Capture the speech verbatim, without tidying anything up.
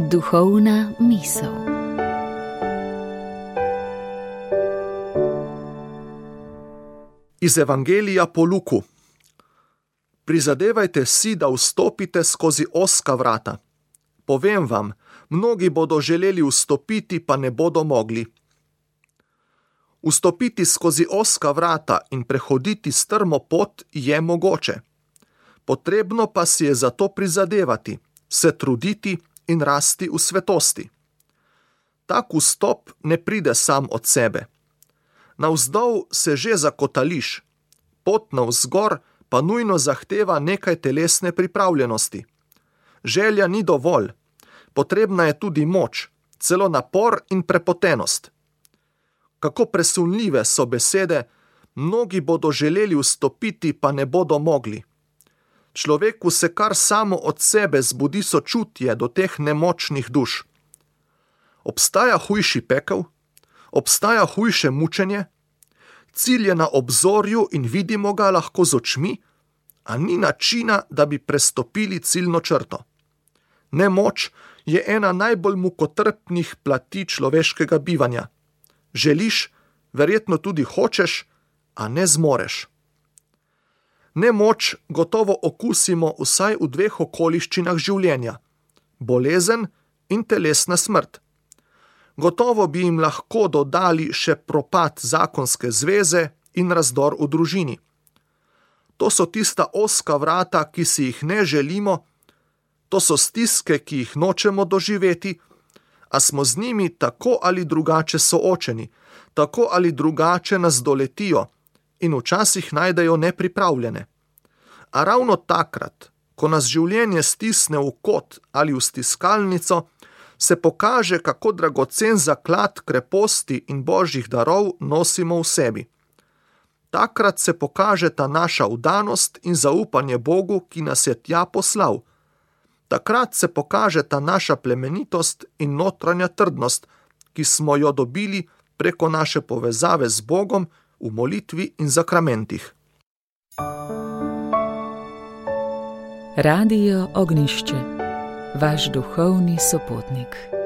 Duhovna misel. Iz Evangelija po Luku. Prizadevajte si, da vstopite skozi ozka vrata. Povem vam, mnogi bodo želeli vstopiti, pa ne bodo mogli. Vstopiti skozi ozka vrata in prehoditi strmo pot je mogoče. Potrebno pa si je za to prizadevati, se truditi in rasti v svetosti. Tak vstop ne pride sam od sebe. Navzdol se že zakotališ, pot navzgor pa nujno zahteva nekaj telesne pripravljenosti. Želja ni dovolj, potrebna je tudi moč, celo napor in prepotenost. Kako presunljive so besede, mnogi bodo želeli vstopiti, pa ne bodo mogli. Človeku se kar samo od sebe zbudi sočutje do teh nemočnih duš. Obstaja hujši pekel? Obstaja hujše mučenje? Cilj je na obzorju in vidimo ga lahko z očmi, a ni načina, da bi prestopili ciljno črto. Nemoč je ena najbolj mukotrpnih plati človeškega bivanja. Želiš, verjetno tudi hočeš, a ne zmoreš. Nemoč gotovo okusimo vsaj v dveh okoliščinah življenja: bolezen in telesna smrt. Gotovo bi jim lahko dodali še propad zakonske zveze in razdor v družini. To so tista ozka vrata, ki si jih ne želimo, to so stiske, ki jih nočemo doživeti, a smo z njimi tako ali drugače soočeni, tako ali drugače nas doletijo in včasih najdejo nepripravljene. A ravno takrat, ko nas življenje stisne v kot ali v stiskalnico, se pokaže, kako dragocen zaklad kreposti in božjih darov nosimo v sebi. Takrat se pokaže ta naša vdanost in zaupanje Bogu, ki nas je tja poslal. Takrat se pokaže ta naša plemenitost in notranja trdnost, ki smo jo dobili preko naše povezave z Bogom v molitvi in zakramentih. Radio Ognjišče, vaš duhovni sopotnik.